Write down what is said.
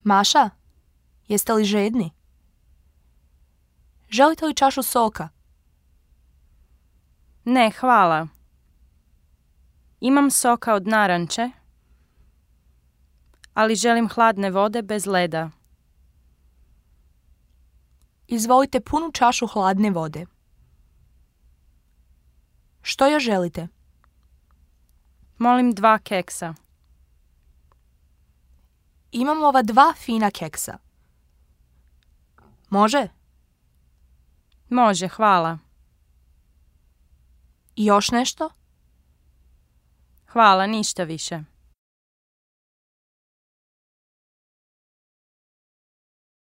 Maša, jeste li žedni? Želite li čašu soka? Ne, hvala. Imam soka od naranče, ali želim hladne vode bez leda. Izvolite punu čašu hladne vode. Što još želite? Molim 2 keksa. Imam ova 2 fina keksa. Može? Može, hvala. I još nešto? Hvala, ništa više.